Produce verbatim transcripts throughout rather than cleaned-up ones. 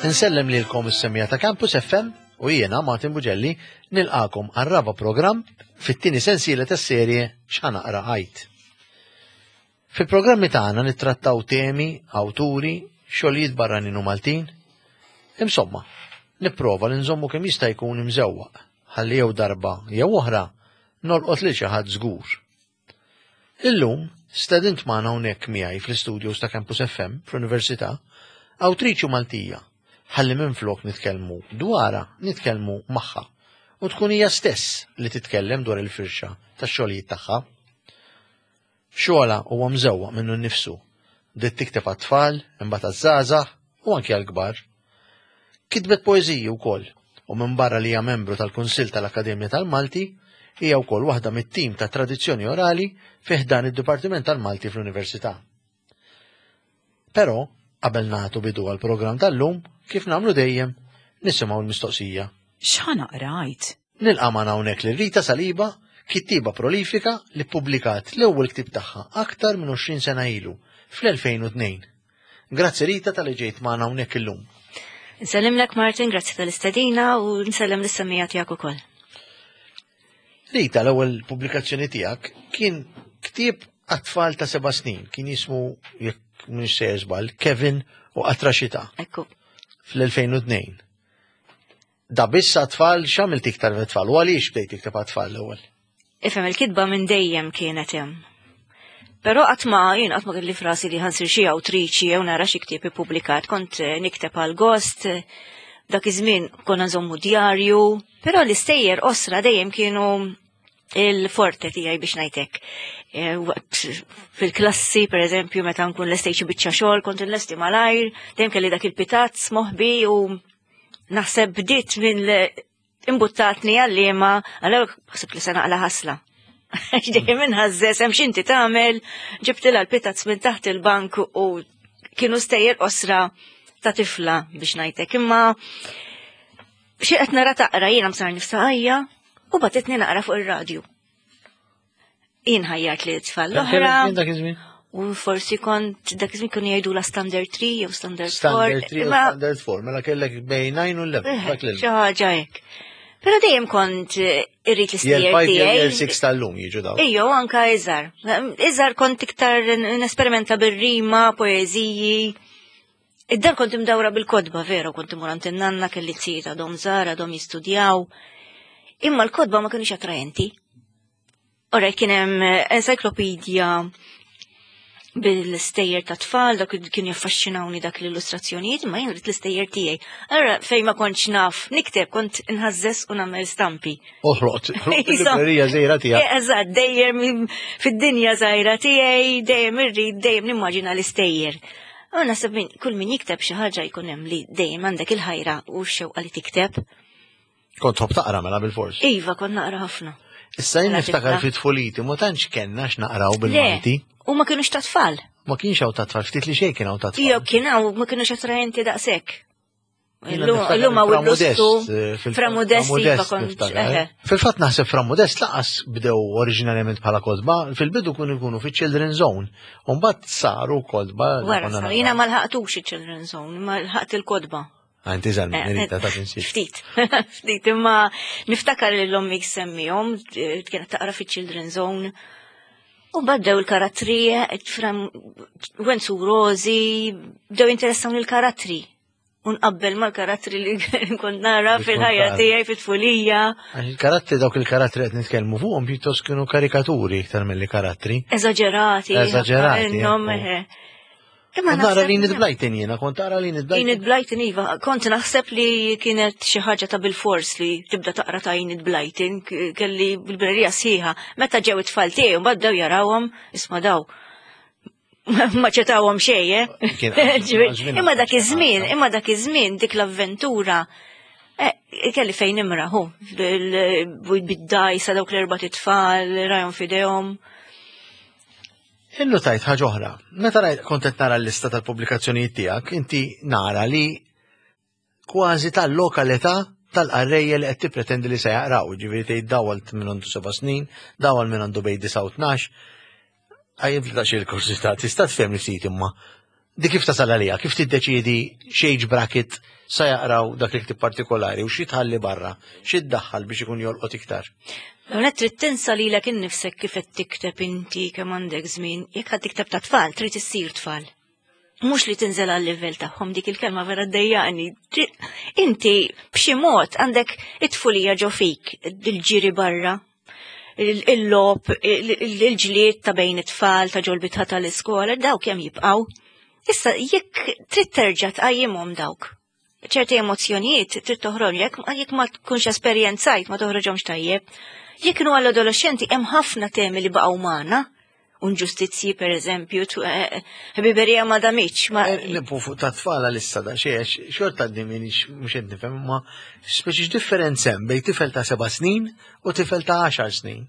Insellem lilkom is-semmiegħa ta' Campus F M u jiena Martin Bugelli nilqagħkom għar-raba' programm fit-tieni sensiela tas-serje X'Ħa Naqra Għid. Fil-programmi tagħna nittrattaw temi, awturi, xogħlijiet barranin u Maltin. Insomma, nipprova li nżommu kemm jista' jkun imżewwaq ħalli jew darba jew oħra nolqot lil xi ħadd żgur. Illum stedint magħna hawnhekk miegħi fl-istudios ta' Campus F M fl-Università awtriċi Maltija ħalli minflok nitkellmu dwarha, nitkellmu magħha u tkun hija stess li titkellem dwar il-firxa tax-xogħlijiet tagħha. Xogħolha huwa mżewwaq minnu nnifsu. Bdiet tikteb għat-tfal, imbagħad għaż-żgħażagħ u anke għall-kbar. Kitbet poeżiji wkoll u minn barra li hija membru tal-Kunsill tal-Akkademja tal-Malti, hija wkoll waħda mit-tim ta' tradizzjoni orali fi ħdan id-Dipartiment tal-Malti fl-Università. Però, qabel nagħtu bidu għal-programm tal-lum, kif nagħmlu dejjem, nisimgħu l-mistoqsija. X'Ħa Naqra Għid? Nilqa' magħna hawnhekk lil Rita Saliba, kittiba prolifika li ppubblikat l-ewwel ktib tagħha aktar minn għoxrin sena ilu, fl-elfejn u tnejn. Grazzi, Rita, talli ġejt magħna hawnhekk illum. Nsellimlek, Martin, grazzi tal-istedina u nsellem lis-semmiegħa tiegħek ukoll. Rita, l-ewwel pubblikazzjoni tiegħek kien ktieb għat-tfal ta' seba' snin, kien jismu, jekk mhux se żball, Kevin u Qatra Xita. Ekku. Fl-elfejn u tnejn. Da biss għat-tfal, x'għamilt iktar tfal u għaliex bdejt tikteb għat-tfal l-ewwel? Ifhem, il-kitba minn dejjem kienet hemm. Però qatt ma jien qatt ma kelli f'rasi li ħa nsir xi awtriċi jew nara xi ktieb ippubblikat, kont eh, nikteb għal gost, dak iż-żmien konna nżommu djarju, però l-istejjer qosra dejjem kienu il-forte tiegħi, biex ngħidlek. Eh, waqt fil-klassi, per eżempju, meta nkun lestejt xi biċċa xogħol, kont nlesti malajr, dejjem kelli dak il-pitazz moħbi u naħseb bdiet minn imbuttatni għalliema, għalhekk ħsibt li se naqla ħasla. Dejjem inħażżeż, hemm x'inti tagħmel, ġibtilha l-pitazz minn taħt il-bank u kienu stejjer qosra ta' tifla, biex ngħidlek. Imma xi qed nara taqra jiena msar nifsaqajja u bagħtitni naqra fuq ir-radju. Jien ħajjart li tfal l-oħra. Dak iż-żmien? U forsi kont dak iż-żmien kienu jgħidu la standard three jew standard four. Standard three u Imma standard four, mela kellek bejn nine u eleven. Eh, Dak l xi ħaġa hekk. Però dejjem kont eh, irrid Year l-istejjer five, year tiegħi. six tal-lum jiġu daw. Ejjo, anka iżgħar. Iżgħar kont iktar nesperimenta bir-rima, poeżiji. Id-dar kont imdawra bil-kotba, vera, kont imur għand in-nanna, kelli tzijiet għadhom żgħar, għadhom jistudjaw. Imma l-kotba ma kienux attraenti. Ora kien hemm encyclopedia bil-stejjer ta' tfal, dak kien jaffaxxinawni dak l-illustrazzjonijiet, ma jien rrid l-istejjer tiegħi. Allora fejn ma kontx naf nikteb, kont inħażżeż u nagħmel stampi. Oħroq, il-librerija żgħira tiegħek. Eh, Eżatt, dejjem fid-dinja żgħira tiegħi, dejjem irrid, dejjem nimmaġina l-istejjer. U naħseb min kull min jikteb xi ħaġa jkun hemm li dejjem għandek il-ħajra u x-xewqa li tikteb. Kont tħobb taqra mela bil-fors. Iva, kont naqra ħafna. Issa jien Mela niftakar tifla. fit tfuliti, ma tantx kellna x'naqraw Le, bil-Malti. u ma kienux ta' tfal. Ma kienx hawn ta' tfal, ftit li xejn kien hawn ta' tfal. Io kien hawn, ma kienux attraenti daqshekk. Jiena Illum niftakar illum hawn Fra il-lustu. Modest, eh, fil- Fra Modest, Fra iva Modest kont. niftakar. Eħe. Fil-fatt naħseb Fra Modest lanqas bdew oriġinarjament bħala kotba, fil-bidu kienu jkunu fi Children's Zone. U mbagħad saru kotba li Wara konna sar, naqraw. jiena ma lħaqtux il-Children's Zone, ma lħaqt il-kotba. Għanti żgħar Eh, Rita, ta' tinsiex. Ftit, ftit, imma niftakar li l-ommi semmihom, kienet taqra fi Children's Zone. U bdew il-karattri, fra Wenzu Rozi, bdew interessawni il-karattri. Unqabbel mal-karattri li kont nara Li kont fil-ħajja tara. tiegħi fit-tfulija. Għax il-karattri, dawk il-karattri qed nitkellmu fuqhom pjuttost kienu karikaturi iktar milli karattri. Eżaġerati. Eżaġerati, Minnhom, ecco. eħe. Imma Kont nara naħseb- li Enid Blyton jiena, kont tara li Enid Blyton. Enid Blyton, iva, kont naħseb li kienet xi ħaġa ta' bil-fors li tibda taqra ta' Enid Blyton, k- kelli bil-librerija sħiħa. Meta ġew it-tfal tiegħi mbagħad bdew jarawhom, isma' daw. Ma ċetawhom xejn, eh? Kien- Ġifieri, imma dak iż-żmien, imma dak iż-żmien dik l-avventura eh, kelli fejn imraħu, bid-dajsa dawk l-erba' tfal, rajhom f'idejhom. Illu tajt ħaġa oħra. Meta rajt kont qed nara l-lista tal-pubblikazzjonijiet tiegħek, inti nara li kważi tal-lokalità tal-qarrejja li qed tippretendi li se jaqraw, ġifieri tgħid daw għal minn għandu seba' snin, daw għal minn għandu bejn disa u tnax. Għajjem fil il-kursità, tista' tfhem li ftit imma Di kif tasal għalija, kif tiddeċiedi x'age bracket sa jaqraw dak il-ktib partikolari u xi tħalli barra, xi ddaħħal biex ikun jolqot iktar? Għonet trid tinsa lilek innifsek kif qed tikteb inti kemm għandek żmien, jekk ħad tikteb ta' tfal, trid issir tfal. Mhux li tinżel għal livell tagħhom, dik il-kelma vera ddejjaqni. Inti b'xi mod għandek it-tfulija ġo fik, il-ġiri barra, il-logħob, il-ġlied ta' bejn it-tfal, ta' ġol-bitħa tal-iskola, dawk kemm jibqgħu. Issa jekk trid terġa' tqajjimhom dawk. Ċerti emozzjonijiet trid toħroġ, jekk jekk ma tkunx esperjenzajt ma toħroġhomx tajjeb. Jekk kienu għall-adolescenti, hemm ħafna temi li baqgħu magħna. Inġustizzji, per eżempju, ħbiberija ma damitx. Ma eh, Nipu fuq ta' tfala l-issa da xie, xorta għadni minix mux qed nifhem, ma speċi differenza hemm bejn tifel ta' seba' snin u tifel ta' għaxar snin.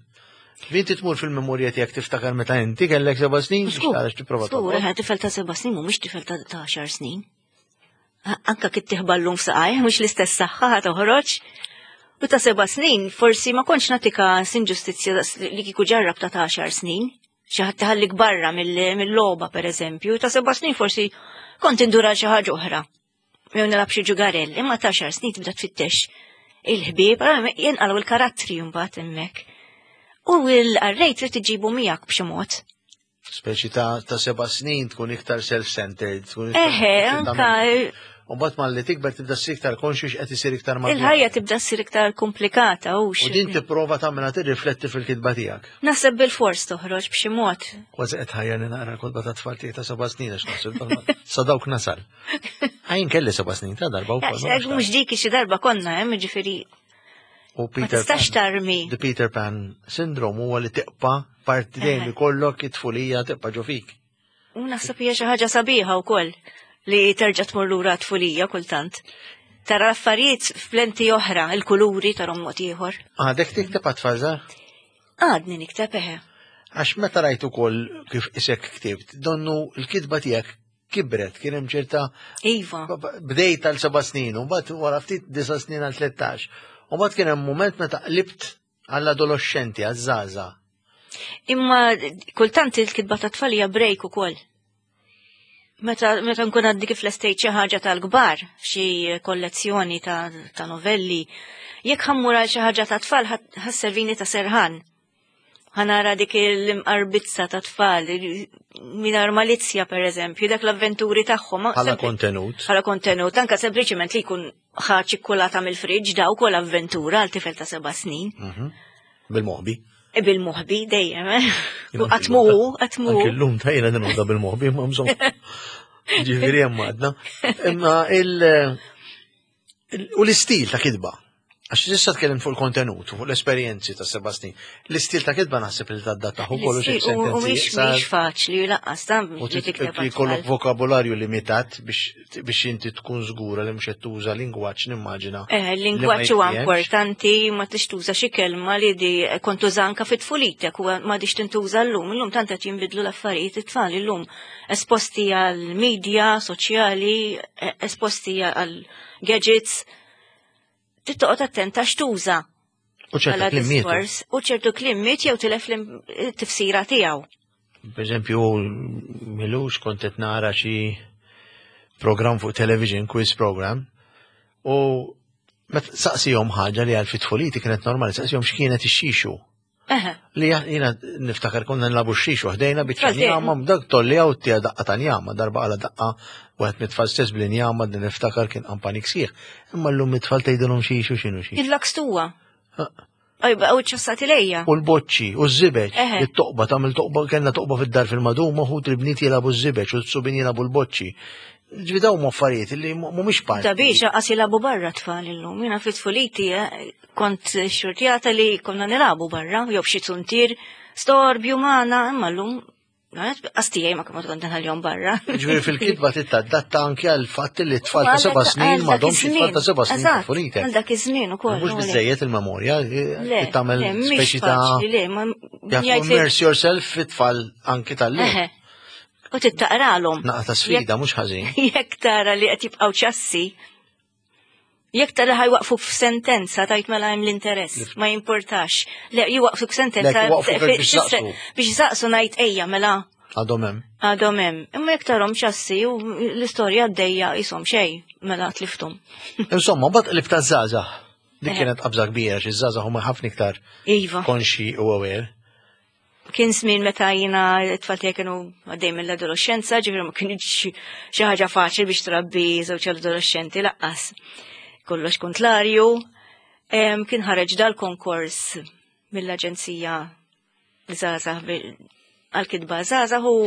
Inti tmur fil-memorja tiegħek, tiftakar meta inti kellek seba' snin biex tara x'tipprova Żgur, toqgħod. eh, tifel ta' seba' snin mhumiex tifel ta' ta' għaxar snin. Anka kif tiħballum f'saqajh, mhux l-istess saħħa ħa toħroġ. U ta' seba' snin, forsi ma kontx natika inġustizzja li kieku ġarrab ta' ta' għaxar snin. Xi ħadd tħallik barra mill- mill-logħba, per eżempju, ta' seba' snin forsi kont indura xi ħaġa oħra. Jew nilgħab xi ġugarell, imma ta' għaxar snin tibda tfittex il-ħbieb, jenqalgħu il-karattri mbagħad hemmhekk. U l-qarrej trid iġibu miegħek b'xi mod. Speċi ta' ta' seba' snin tkun iktar self-centered. Tkun iktar- Eħe, anka U mbagħad malli tikber tibda ssir iktar konxju x'qed isir iktar madwar. Il-ħajja tibda ssir iktar komplikata u U din tipprova tagħmilha tirrifletti fil-kitba tiegħek. Naħseb bil-fors toħroġ b'xi mod. Kważi qed ħajjarni naqra kotba ta' tfal tiegħi ta' seba' snin, għax naħseb sa dawk nasal. Għajn kelli seba' snin ta' darba wkoll. ma nafx. Mhux dik xi darba konna hemm, ġifieri U ma Peter tistax Pan, tarmi. The Peter Pan syndrome huwa li tibqa' parti dejjem ikollok it-tfulija tibqa' ġo fik. U naħseb hija xi ħaġa sabiħa wkoll li terġa' tmur lura tfulija kultant. Tara l-affarijiet f'lenti oħra, il-kuluri tarhom mod ieħor. Għadek tikteb għat-tfal żgħar? Għadni nikteb, eħe. Għax meta rajt ukoll kif isek ktibt, donnu l-kitba tiegħek kibret, kien hemm ċerta Iva. bdejt għal seba' snin, u mbagħad wara ftit disa' snin għal tlettax. U mbagħad kien hemm mument meta qlibt għall-adolescenti, għaż-żgħażagħ. Imma kultant il-kitba ta' tfal hija break ukoll. Meta, meta nkun għaddi kif lestejt xi ħaġa tal-kbar, xi kollezzjoni ta', ta' novelli, jekk ħa mmur għal xi ħaġa ta' tfal, ħa sservini ta' serħan. Ħa nara dik il-imqarbizza ta' tfal, mingħajr malizzja, per eżempju, dak l-avventuri tagħhom. Bħala kontenut. Bħala kontenut, anka sempliċiment li jkun ħa ċikkulata mill-friġġ, daw kol avventura għal tifel ta' seba' snin. Mhm. Bil-moħbi. E bil-moħbi dejjem, eh? U għatmu, għatmu. Anki l-lum ta' jena nħodha bil-moħbi, ma bżonn. Ġifieri hemm għadna. Imma il- il- u l-istil ta' kitba. Għax issa tkellim fuq il-kontenut, fuq l-esperjenzi ta' seba' snin. L-istil ta' kitba naħseb li tadattah ukoll xi U sentenzi mhix iqsar. mhix faċli lanqas ta' U li tikteb li jkollok għat-tfal. vokabolarju limitat biex biex inti tkun żgura li mhux qed tuża lingwaġġ, nimmaġina. Eh, li ma l-lingwaġġ huwa jiftehemx. importanti, ma tix tuża xi kelma li di kont tuża anka fit-tfulitek u ma tix tintuża llum. Illum tant qed jinbidlu l-affarijiet, it-tfal illum esposti għal media soċjali, eh, esposti għal gadgets. Trid toqgħod attenta x'tuża U ċerta bħala kliem mietu. diskors u ċertu kliem miet jew tilef l-tifsira tiegħu. Per eżempju, m'ilux kont qed nara xi program fuq television, quiz program, u meta saqsihom ħaġa li għal fit-tfuliti kienet normali, saqsihom x'kienet ix-xixu. Eħe. Li jina niftakar konna nilagħbu x-xixu ħdejna biċċa Tfal njama, dak tolli għaw tija daqqa ta' njama, darba għala daqqa wieħed mit-tfal stess bl-injama, din niftakar kien qampanik sieħ. Imma llum mit-tfal tgħidilhom xixu, x'inhu xixu? Il-lakstuwa. Aj, baqgħu ċassati lejja. U l-boċċi, u ż-żibeġ, Eħe. it-toqba, tagħmel toqba, kellna toqba fid-dar fil-maduma, u il-bniet jilagħbu ż-żibeġ u s-subien jilagħbu l-boċċi. Ġifieri dawn huma affarijiet li mhumiex parti. Ta' biex qas jilagħbu barra tfal illum. Jiena fit-tfuliti eh, kont xurtjata li konna nilagħbu barra, jew b'xi zuntier, storbju magħna, imma llum qas tiegħi ma kemm kont nħallihom barra. Ġifieri fil-kitba titadatta anke għal fatt li t-tfal ta' seba' snin m'għadhomx it-tfal ta' seba' snin Eżatt, tfulitek. għal dak iż-żmien ukoll. Mhux u le. biżejjed il-memorja, Le, tagħmel le, mhix speċi ta' faċli, le, ma You have to jgħid li- immerse yourself fit-tfal anki tal-lum. Eħe. U tittaqralhom. Naqa ta' sfida, mhux ħażin. Jekk tara li qed jibqgħu ċassi, jekk tara ħa jwaqfuk f'sentenza, tajt mela hemm l-interess, ma jimportax. Le, jwaqfuk f'sentenza Le, jwaqfuk fi- biex saqsu. Biex saqsu ngħid ejja mela. Għadhom hemm. Għadhom hemm. Imma jekk tarhom ċassi u l-istorja għaddejja qishom xejn, mela tlifthom. Insomma, mbagħad qlibt għaż-żgħażagħ. Dik Eħe. kienet qabża kbira, xi żgħażagħ huma ħafna iktar Iva. konxi u aware. Kien żmien meta jiena t-tfal tiegħi kienu għaddej mill-adolescenza, ġifieri ma kienx xi ħaġa faċli biex trabbi żewġ adolescenti lanqas. Kollox kontlarju. Em, Kien ħareġ dal-konkors mill-Aġenzija Żgħażagħ bi- għal-kitba żgħażagħ u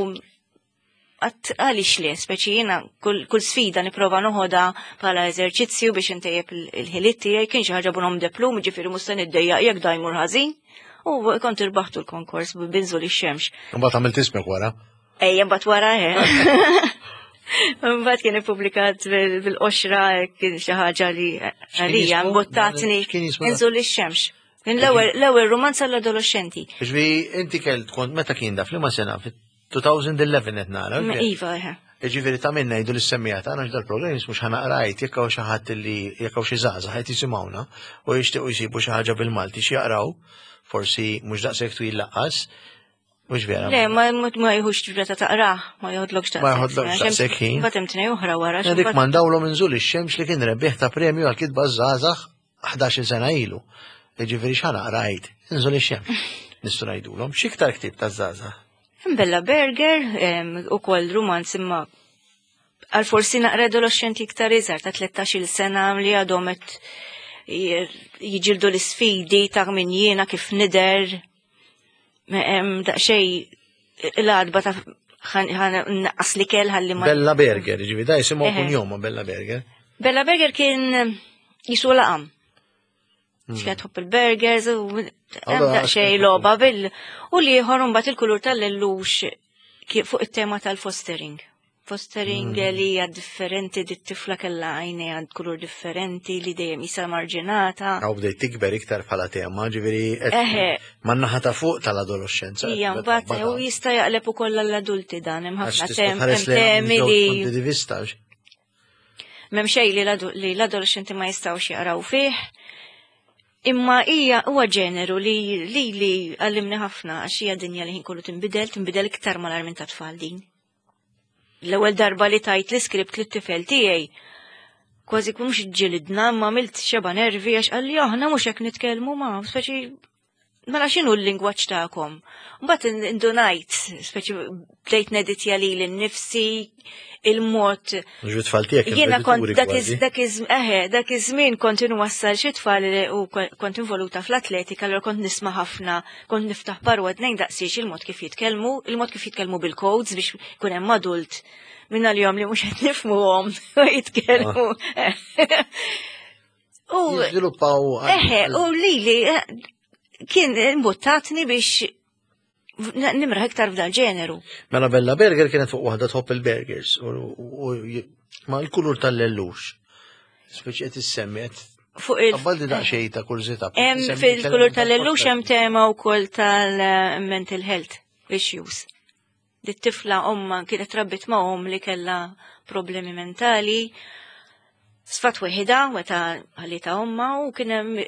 għedt għaliex le, speċi jiena kull, kull sfida nipprova noħodha bħala eżerċizzju biex intejjeb il- il-ħiliet tiegħi, kien xi ħaġa bonhomme de plume, ġifieri mhux se niddejjaq jekk da jmur ħażin. U kont irbaħtu l-konkors b'Inżul ix-Xemx. Mbagħad għamilt ismek wara. Ejja, mbagħad wara eh. Mbagħad kien ippubblikat bil- bil-qoxra, kien xi ħaġa li għalija jismu? mbottatni X'kien jismu da? Inżul ix-Xemx. Kien l-ewwel l-ewwel romanz għall-adolescenti. Ġifieri inti kelt kont meta kien da f'liema sena fit-elfejn u ħdax qed nara. Ma Iva, eh. Ġifieri ta' minna jgħidu l-semmija ta' għax dal-programm jismu X'Ħa Naqra Għidt, jekk hawn xi ħadd li jekk hawn xi żgħażagħ qed jisimgħuna u jixtiequ jsibu xi ħaġa bil-Malti xi jaqraw, forsi mhux daqshekk twil lanqas, mhux vera. Le, ma ma ma jieħux ġibrata taqrah, ma joħodlokx daqshekk. Ma joħodlokx daqshekk ħin. Mbagħad hemm tnejn oħra wara. xi mbagħad- Nirrikmandawlhom Inżul ix-Xemx li kien rebbieħ ta' premju għal kitba żgħażagħ ħdax-il sena ilu. Ġifieri X'Ħa Naqra Għidt, Inżul ix-Xemx. Nistgħu ngħidulhom x'iktar ktieb ta' żgħażagħ. Bella Berger, em, ukoll romanz imma għal forsi naqra adolescenti iktar iżgħar ta' tlettax-il sena li għadhom qed jiġildu l-isfidi ta' min jiena, kif nidher. Em, Daqsxejn l-għadba ta' naqqas l-ikel ħalli ma. Bella Berger, ġifieri da jisimgħu Eħe. kunjoma Bella Berger. Bella Berger kien jisu laqam. Xkien tħobb il-burgers u hemm Allora, daqsxejn logħba bil u l-ieħor mbagħad Il-Kulur tal-Lellux ki- fuq it-tema tal-fostering. Fostering li hija differenti, dit tifla kellha għajnejha kulur differenti li dejjem jisa marġinata. Għaw bdejt tikber iktar bħala tema, ġifieri qed Eħe. man-naħa ta' fuq tal-adolescenza. Hija mbagħad u jista' jaqleb ukoll għall-adulti dan, hemm Għax ħafna tista' tem tħares hemm lejha temi minn żewġ li punti di vista. M'hemm xejn li l-adu- li l-adolescenti ma jistgħux jaqraw fih. Imma hija huwa ġeneru li li li għallimni ħafna għax hija dinja li ħin kollu tinbidel, tinbidel iktar mal minn ta' tfal din. L-ewwel darba li tajt l-iskript lit-tifel tiegħi, kważi mhux ġilidna, ma għamilt xeba nervi għax qalli aħna mhux hekk nitkellmu, ma speċi mela x'inhu l-lingwaġġ tagħkom. Mbagħad indunajt, speċi bdejt neditja lili nnifsi, il-mod Ġu tfal tiegħek Jiena kont edituri dak kważi. iż dak iż eħe, dak iż-żmien kont inwassal xi tfal li- u ko- kont involuta fl-atletika, allura kont nisma' ħafna, kont niftaħ parwa tnejn daqsiex il-mod kif jitkellmu, il-mod kif jitkellmu bil-codes biex ikun hemm adult minna li li mhux qed nifhmuhom jitkellmu. U Jiżviluppaw eħe, u lili eh, kien imbuttatni biex nimraħ iktar f'dal ġeneru. Mela Bella Berger kienet fuq waħda tħobb il-burgers u u- u- ma l-Kulur tal-Lellux. Speċi qed issemmi qed Fuq il- Qabbaldi daqsxejn ta' kurżità. Hemm fil-Kulur tal-Lellux hemm tema wkoll tal-mental health issues. Dit tifla omma kienet rabbit ma' om li kella problemi mentali, sfat weħida meta ħallita omma u kien hemm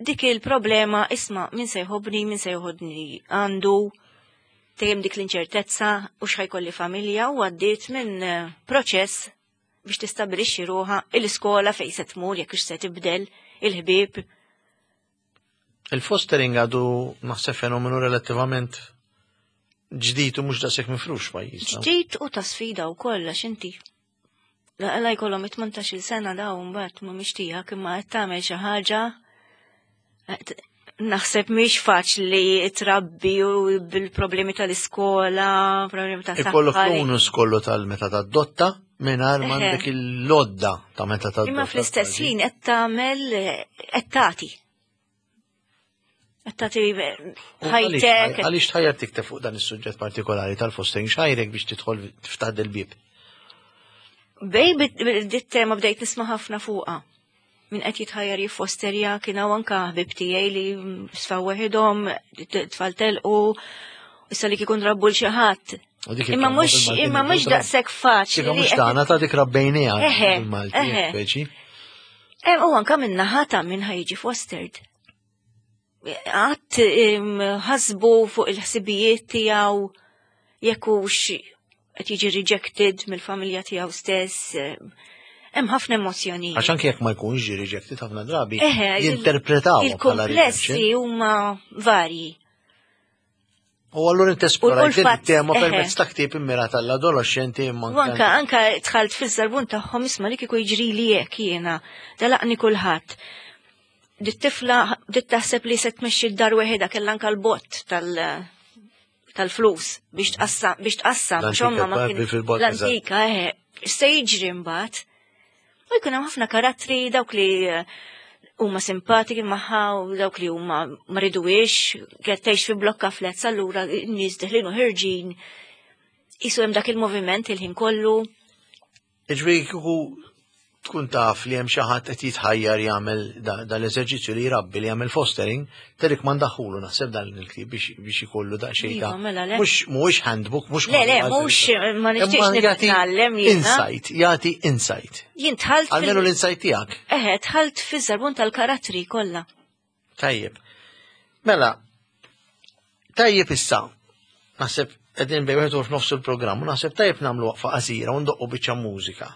dik il-problema, isma', min se jħobni, min se jħodni għandu, dejjem dik l-inċertezza u x'ħajkolli familja, u għaddiet minn eh, proċess biex tistabilixxi ruħha, il-iskola fejn se tmur, jekk se tibdel, il-ħbieb. Il-fostering għadu naħseb fenomenu relattivament ġdid u mhux daqshekk mifrux pajjiżna. Ġdid u ta' sfida u kollha inti. La la jkollhom tmintax-il sena daw mbagħad mhumiex tiegħek imma qed tagħmel xi ħaġa qed- naħseb mhix faċli trabbi u bil-problemi tal-iskola, problemi ta' Ikollok saħħa. li- bonus kollu tal-meta tadotta mingħajr Eħe. m'għandek il-lodda ta' meta tadotta. Imma fl-istess ħin qed tagħmel qed tagħti. Qed tagħti U għaliex- ħajtek. Għaliex tħajjar tikteb fuq dan is-suġġett partikolari tal-fostering, x'ħajrek biex tidħol tiftaħ del-bib? Bej dit tema bdejt nisma' ħafna fuqha. Min qed jitħajjar jiffosterja, kien hawn anke ħbib tiegħi li sfaw weħidhom, tfal telqu, issa li kikun rabbu l xi ħadd. U dik Imma il-kelma mhux bil-Malti imma mhux ngħidu daqshekk faċli. Kika li mhux qed- tagħna ta' dik rabbejniha Eħe, bil-Malti, eħe. speċi. Em, U anke minn naħa ta' min ħa jiġi fostered. Għat ħasbu fuq il-ħsibijiet tiegħu Jekk hux qed jiġi rejected mill-familja tiegħu stess, eh, hemm ħafna emozzjonijiet. Għax anke jekk ma jkunx ġi rejected ħafna drabi, Eħe, il- jinterpretaw bħala Il-komplessi rejection. huma varji. U allura inti esplorajt U- u l-fatt, il-tema eħe. permezz ta' ktieb immirat għall-adolescenti imma U anka, anka dħalt fiż-żarbun tagħhom isma' li kieku jiġri li hekk jiena, telaqni kulħadd. Dit-tifla bdiet taħseb li se tmexxi d-dar weħeda kellha anka l-bott tal- tal-flus biex tqassam biex tqassam L-antika għax omma ma Barbie kien fil-bott, l-antika eħe se jiġri mbagħad. U jkun hemm ħafna karattri dawk li eh, huma simpatiki magħha u dawk li huma ma riduwiex, kienet tgħix fi blokka flats allura n-nies deħlin u ħerġin. Isu hemm dak il-moviment il-ħin kollu. Ġifieri kieku tkun taf li hemm xi ħadd qed jitħajjar jagħmel da- dal-eżerċizzju li jrabbi li jagħmel fostering, tirrikmandahulu naħseb dan il-ktieb biex biex ikollu daqsxejn Iva, ta' mela le. mhux mhuwiex handbook, mhux Le, le, manual. mhux ma nixtieqx Imma jagħti nitgħallem jiena. Insight, jagħti insight. Jien dħalt Almenu fil- l-insight tiegħek. Eħe, dħalt fiż-żarbun tal-karattri kollha. Tajjeb. Mela, tajjeb issa. Naħseb qegħdin bejn wieħed u f'nofs il-programm u naħseb tajjeb nagħmlu waqfa qasira u ndoqqu biċċa mużika.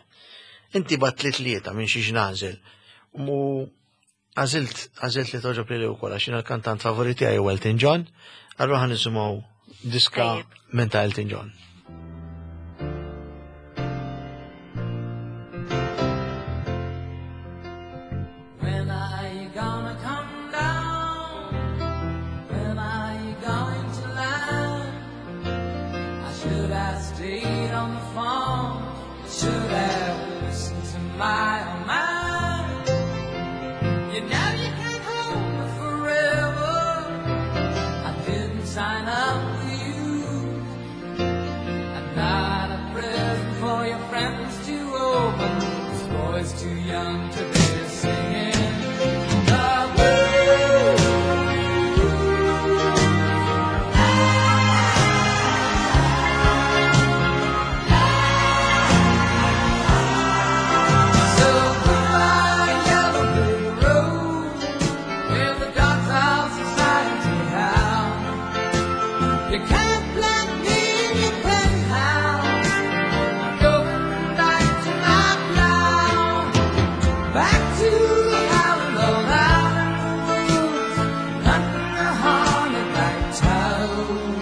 Inti bgħattli tlieta minn xiex nagħżel. Mu għażilt għażilt li togħġob lili wkoll għax jiena l-kantant favoriti tiegħi huwa Elton John, allura ħa nisimgħu diska Tajjeb. minn ta' Elton John. When are you gonna come down? When are you going to land? I should have stayed on the phone. I should have listened to my old man. You know you can't hold me forever. I didn't sign up with you. I'm not a present for your friends to open. This boy's too young to be singing the blues. So goodbye, yellow brick road, where the dogs of society howl. You can't plant me in your penthouse. I'm going back to my plow, back to the howling old out in the woods, hunting the haunted black toad.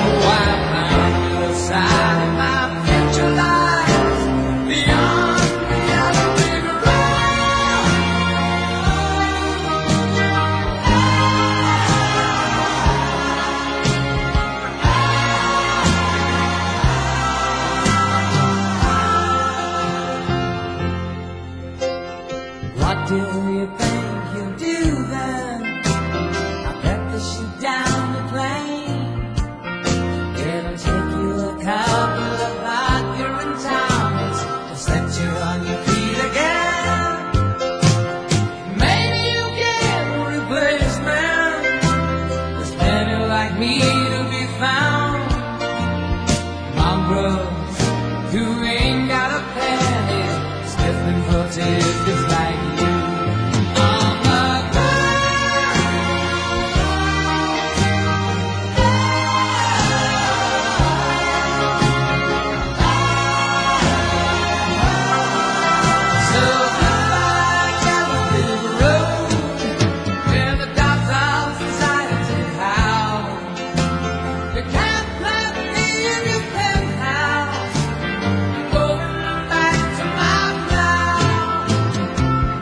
Oh, I found the side of my future lies beyond the yellow brick road. What do you think you'll do then? I bet they shoot down the plane. It'll take you a couple of vodka and tonics to set you on your feet again. Maybe you'll get a replacement. There's plenty like me to be found. Mongrels who ain't got a penny, sniffing for tickets like you. On the ground. So goodbye, yellow brick road, where the dogs of society howl. You can't plant me in your penthouse. I'm going back to my plow,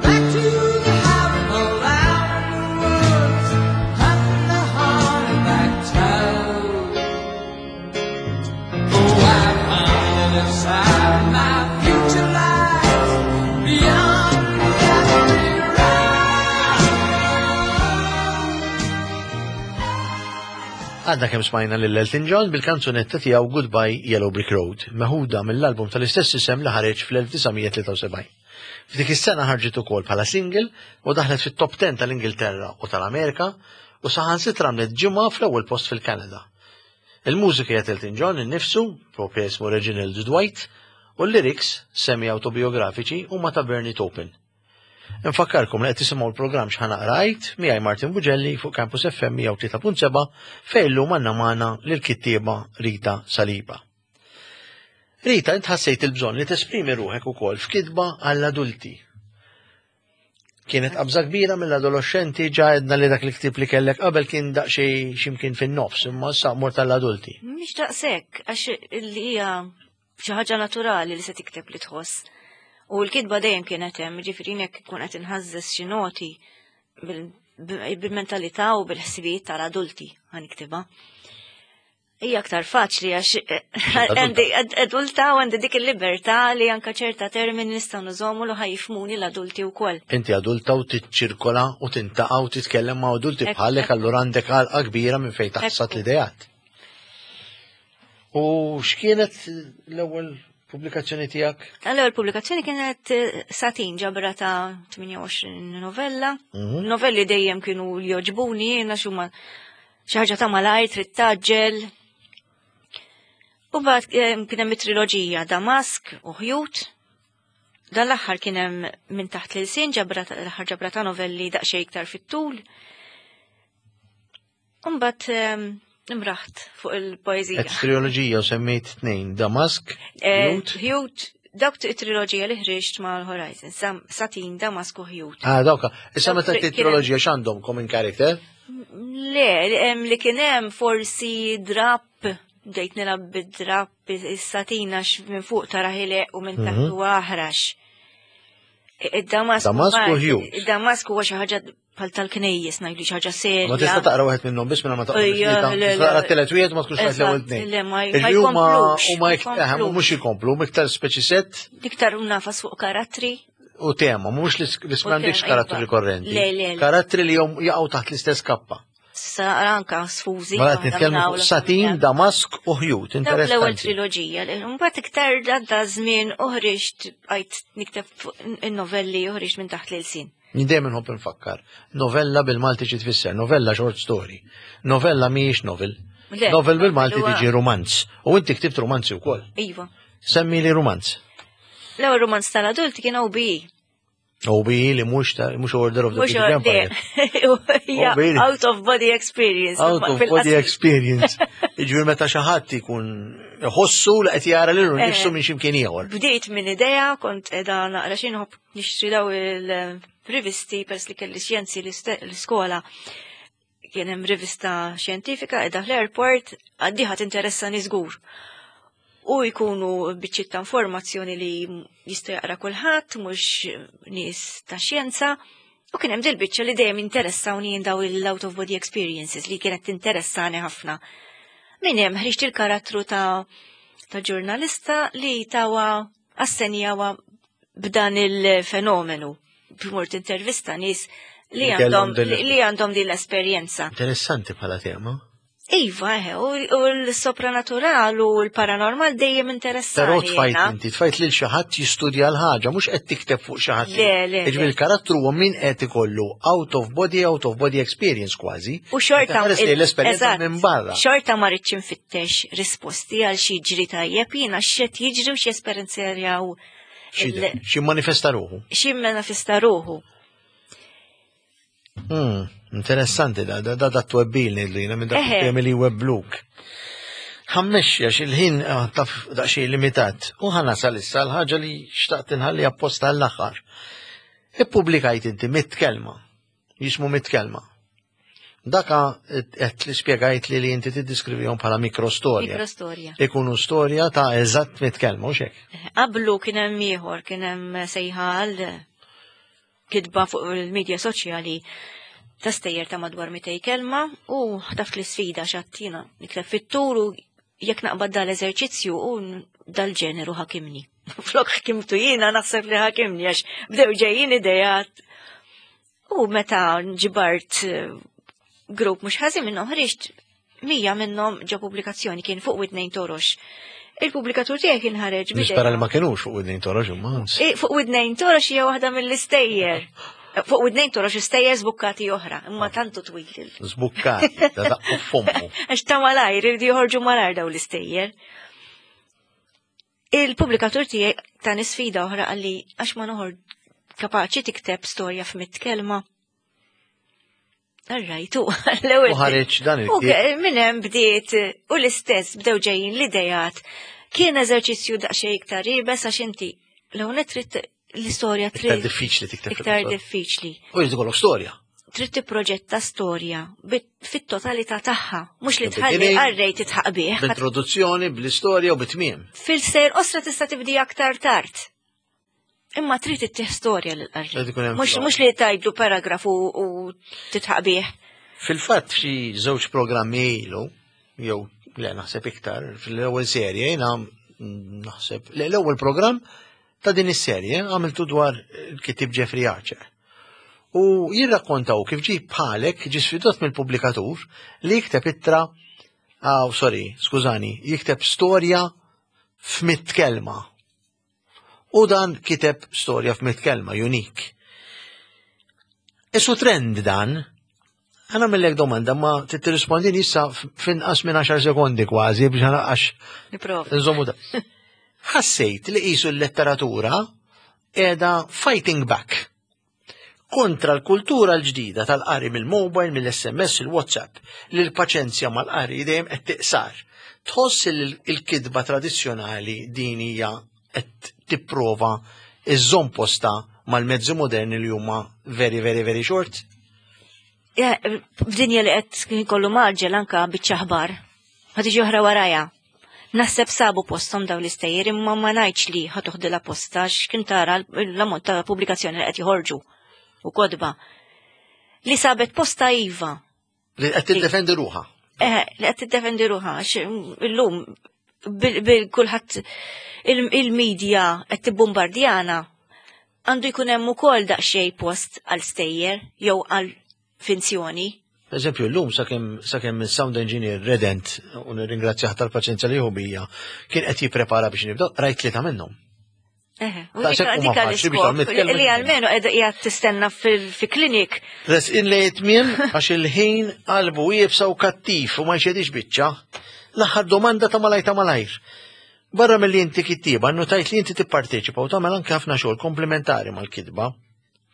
back to the howling hole out in the woods, hunting the haunted black toad. Oh, I found it inside my future lies beyond the yellow brick road. Għadna kemm smajna lil Elton John bil-kanzunetta tiegħu Goodbye Yellow Brick Road, meħuda mill-album tal-istess isem li ħareġ fl-elf disa' mija tlieta u sebgħin. F'dik is-sena ħarġet ukoll bħala single u daħlet fit-top ten tal-Ingilterra u tal-Amerika u saħansitra għamlet ġimgħa fl-ewwel post fil-Kanada. Il-mużika hija Elton John innifsu, propja ismu Reginald Dwight, u l-lyrics semi-autobiografiċi huma ta' Bernie Taupin. Nfakkarkom li qed tisimgħu l-programm X'Ħa Naqra Għidt miegħi Martin Bugelli fuq Campus F M mija u tlieta punt seba' fejn illum għandna magħna lill-kittieba Rita Saliba. Rita, int ħassejt il-bżonn li tesprimi ruħek ukoll f'kitba għall-adulti. Kienet qabża kbira mill-adolescenti, ġa għedna li dak il-ktib li kellek qabel kien daqsxejn x'imkien fin-nofs, imma issa mort tal-adulti. Mhix daqshekk, għax li hija xi ħaġa naturali li se tikteb li tħoss. U l-kitba dejjem kienet hemm, ġifieri jekk ikun qed inħażżes xi noti bil- bil-mentalità u bil-ħsibijiet tal-adulti ħa niktibha. Hija aktar faċli għax għandi adulta u għandi dik il-libertà li anka ċerta termini nistgħu nużawhom li ħa jifhmuni l-adulti wkoll. Inti adulta u tiċċirkola u tiltaqa' u titkellem ma' adulti Ekku, bħalek, ekku. allura għandek għalqa kbira minn fejn taħsat Ekku. l-idejat. U x'kienet l-ewwel pubblikazzjoni tiegħek? L-ewwel pubblikazzjoni kienet eh, Satin, ġabra ta' tmienja u għoxrin novella. Mhm. Novelli dejjem kienu li joġbuni jiena x'huma xi ħaġa ta' malajr trid tgħaġġel. U mbagħad eh, kien hemm it-triloġija Damask u Ħjut. Dan l-aħħar kien hemm Minn Taħt l-Ilsien, ġabra ta- l-aħħar ġabra ta' novelli daqsxejn iktar fit-tul. U mbagħad eh, imraħt fuq il-poeżija. Et triloġija u semmejt tnejn, Damask, Eh, Ħjut. Ħjut, dawk it-triloġija li ħriġt mal-Horizon, Sam- Satin, Damask u Ħjut. Ah, dawka. Issa Dawk meta kien- triloġija x'għandhom common character? Le, em, li kien hemm forsi drap, bdejt nilgħab bid-drap, is-satina x- minn fuq tara ħileq u minn taħt Mhm. huwa aħrax. Id-Damask Damask u Ħjut. Id-Damask huwa xi ħaġa bħal tal-knejjes, ngħidu xi ħaġa serja. Ma tista' taqra wieħed minnhom biss minn ma taqra. Ejja, le, le. Taqra t-telet wieħed ma tkunx rajt l-ewwel Eżatt, tnejn. le, ma- ma Ġifieri huma jkomplux, huma ma ik- eh, jkomplux. mhux jkomplu, huma iktar speċi set Iktar nagħfas fuq karattri. u tema, mhux li li m'għandekx tema, karattri iva. rikorrenti. Le, le, le. Karattri li jom jaqgħu taħt l-istess kappa. Sa anka sfużi. Mela qed waħda nitkellmu minn fuq hawn Satin, l-oħra. Damask u Ħjut, Dawk l-ewwel interessanti. triloġija. Mbagħad iktar għadda żmien uħriġt bqajt nikteb fuq in-novelli, uħriġt Minn Taħt l-Ilsien. Jien dejjem inħobb nfakkar. Novella bil-Malti xi tfisser? Novella short story. Novella mhijiex novel. Le, Novel bil-Malti huwa- tiġi romanz. U inti ktibt romanzi wkoll. Iva. Semmi li romanz. L-ewwel romanz tal-adulti kien O B E. O B E li mhux ta' mhux Order of the Mhux British Empire. hija O B E. out of body experience. Out of body experience. Jiġifieri meta xi ħadd ikun iħossu li qed jara lilu Eh. nnifsu minn x'imkien ieħor. Bdejt minn idea, kont edha naqra xi nħobb nixtri daw il-rivisti pers li kelli xjenzi l-iskola. Kien hemm rivista xjentifika edha fl-airport, għaddiħa tinteressani żgur. U jkunu biċċiet ta' informazzjoni li jista' jaqra kulħadd, mhux nies ta' xjenza. U kien hemm dil-biċċa li dejjem interessawni jien, daw il-out of body experiences li kienet tinteressani ħafna. Min hemm ħriġt il-karattru ta' ta' ġurnalista li tawa assenjawa b'dan il-fenomenu. B'mort intervista nies li Li kellhom għandhom din- li għandhom din l-esperjenza. Interessanti bħala tema. Iva, eħe, u u l-sopranatural u l-paranormal dejjem interessani. Però tfajt jiena. inti, tfajt lil xi ħadd jistudja l-ħaġa, mhux qed tikteb fuq xi ħadd. Le, le, Jiġifieri le. il-karattru huwa min qed ikollu out of body, out of body experience kważi. U xorta Qed tħares lejn l-esperjenza eżatt, minn barra. Xorta ma rridx infittex risposti għal xi jiġri tajjeb jiena x'qed jiġri u x'jesperjenzjaw Xi xi manifesta ruħu. xi manifesta ruħu. Hmm, interessanti da, da, da, da twebbin li jiena minn dak Eħe. il-temi li webluk. Ħammexxi għax il-ħin ah, taf daqsxejn limitat. U ħa nasal issa l-ħaġa li xtaqt inħalli apposta għall-aħħar. Ippubblikajt inti mitt kelma. Jismu Mitt Kelma. Daka qed li spjegajt li li inti tiddiskrivihom bħala mikrostorja. Mikrostorja. Ikunu storja ta' eżatt mitt kelma, u xek. Qablu kien hemm ieħor, kien hemm sejħa għal kitba fuq il-medja soċjali ta' stejjer ta' madwar mitejn kelma u ħtaft l-isfida xattina nitlef fit-tur u jekk naqbad dal-eżerċizzju u dal-ġeneru ħakimni. Flok ħakimtu jiena, naħseb li ħakimni għax bdew ġejjin idejat. U meta ġibart eh, grupp mhux ħażin minnhom, ħriġt mija minnhom ġo pubblikazzjoni, kien Fuq Widnejn Torox. Il-pubblikatur tiegħi kien ħareġ Nispera li ma kienux Fuq Widnejn Torox imma. Eh, Fuq Widnejn Torox hija waħda mill-istejjer. Fuq Widnejn Torox istejjer żbukkati oħra, imma tantu twil. Żbukkati, da daqqu fommu. Għax ta' malajr, irridu joħorġu malajr daw l-istejjer. Il-pubblikatur tiegħi ta' sfida oħra, qalli għax ma noħor Kapaċi tikteb storja f'mitt kelma. Rajtu, l-ewwel. U ħareġ dan U il-ktieb. minn hemm bdiet u l-istess bdew ġejjin l-idejat. Kien eżerċizzju daqsxejn iktar iebes għax inti l-ewwel trid l-istorja Iktar trid diffiċli tikteb. iktar fil-qosor. diffiċli. U jrid ikollok storja. Trid tipproġetta storja bit- fit-totalità tagħha, mhux li The tħalli beginning, qarrej titħaq bih. B'introduzzjoni, bl-istorja u bit-tmiem. Fil-sejr osra tista' tibdi aktar tard. Imma trid ittih storja lil Trid qarrej. ikun hemm Mhux flow. mhux li tgħidlu paragrafu u titħaq bih. Fil-fatt xi żewġ programmi ilu, jew le naħseb iktar, fil-ewwel serje jiena mm, naħseb le l-ewwel programm ta' din is-serje għamiltu dwar il-kitib Jeffrey Archer. U jirrakkontaw kif ġi bħalek ġi sfidat mill-pubblikatur li jikteb ittra, aw sorry, skużani, jikteb storja f'mitt kelma. U dan kiteb storja f'mitt kelma, unik. Isu trend dan, ħa nagħmillek domanda, ma tirrispondini issa f'inqas minn għaxar sekondi kważi biex għax Niprova. nżommu da. Ħassejt li qisu l-letteratura qiegħda fighting back kontra l-kultura l-ġdida tal-qari mill-mobile, mill-S M S, il-WhatsApp, li l-paċenzja mal-qari dejjem qed tiqsar. Tħoss li l-kitba tradizzjonali din hija qed tipprova iżżomm posta mal-mezzi moderni li huma very, very, very short? Ja, f'dinja li qed kollu mgħaġġel, anka biċċa aħbar. Ħa tiġi oħra warajha. Naħseb sabu postom daw l-istejjer, imma ma ngħidx li ħa toħdilha posta x'kien tara l-ammont ta' pubblikazzjoni li qed joħorġu u kotba. Li sabet posta iva. Li qed tiddefendi ruħha. Eh, li qed tiddefendi ruħha għax illum bil kulħadd il-medja qed tibbombardjana, għandu jkun hemm ukoll daqsxejn post għal stejjer jew għal finzjoni. Per eżempju, l-lum sakemm sakemm il-sound engineer Redent, u nirringrazzjah tal-paċenzja li hu bija, kien qed jipprepara biex nibdew, rajt tlieta minnhom. Eħe, u Daqshekk dik huma dik faċli biex l-iskop tagħmel tkellem. li almenu qiegħda qiegħed tistenna fil-klinik. Resqin li tmiem għax il-ħin qalbu iebsa u kattiv u ma jxedix biċċa. L-aħħar domanda ta' malajr ta' malajr. Barra mill-li inti kittiba, notajt li inti tipparteċipa u tagħmel anke ħafna xogħol komplementari mal-kitba.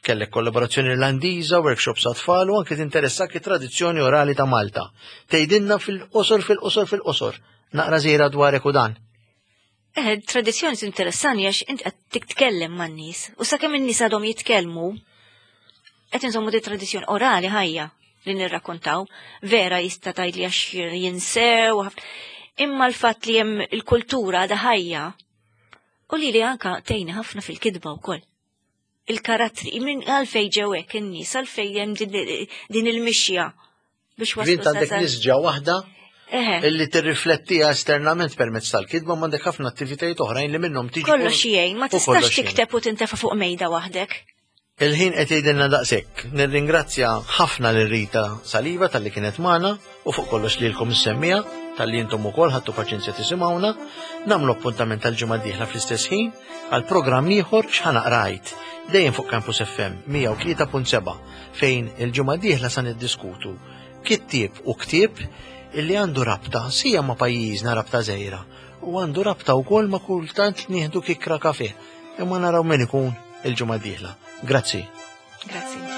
Kellek kollaborazzjoni Irlandiża, workshops għat-tfal u anke tinteressak it-tradizzjoni orali ta' Malta. Tgħidilna fil-qosor, fil-qosor, fil-qosor. Naqra żgħira dwarek u dan. Eh, tradizzjoni interessani għax int qed titkellem man-nies u sakemm in-nies għadhom jitkellmu qed inżommu di tradizzjoni orali ħajja li nirrakkontaw, vera jista' tgħid li għax jinsew, ħafna- imma l-fatt li hemm il-kultura għadha ħajja u li li anka tgħinni ħafna fil-kitba wkoll. Il-karattri, minn għalfej ġew hekk in-nies, għalfej hemm din, din il-mixja biex waslu Int għandek sa- nisġa waħda Eħe. illi tirriflettiha esternament permezz tal-kitba, ma għandek ħafna attivitajiet oħrajn li minnhom tiġi. Kollox jgħin, ma u tistax kollox jgħin. tikteb u tintefa' fuq mejda waħdek. Il-ħin qed jgħidilna daqshekk. Nirringrazzja ħafna lil Rita Saliba talli kienet magħna u fuq kollox lilkom is-semmiegħa talli intom ukoll ħadtu paċenzja tisimgħuna. Nagħmlu appuntament tal-ġimgħa d-dieħla fl-istess ħin għal programm ieħor X'Ħa Naqra Għid, dejjem fuq Campus F M mija u tlieta punt seba', fejn il-ġimgħa d-dieħla sa niddiskutu kittieb u ktieb illi għandu rabta sija ma' pajjiżna, rabta żgħira, u għandu rabta wkoll ma' kultant nieħdu kikkra kafe. Imma naraw min ikun il-ġimgħa d-dieħla. Grazzi. Grazzi.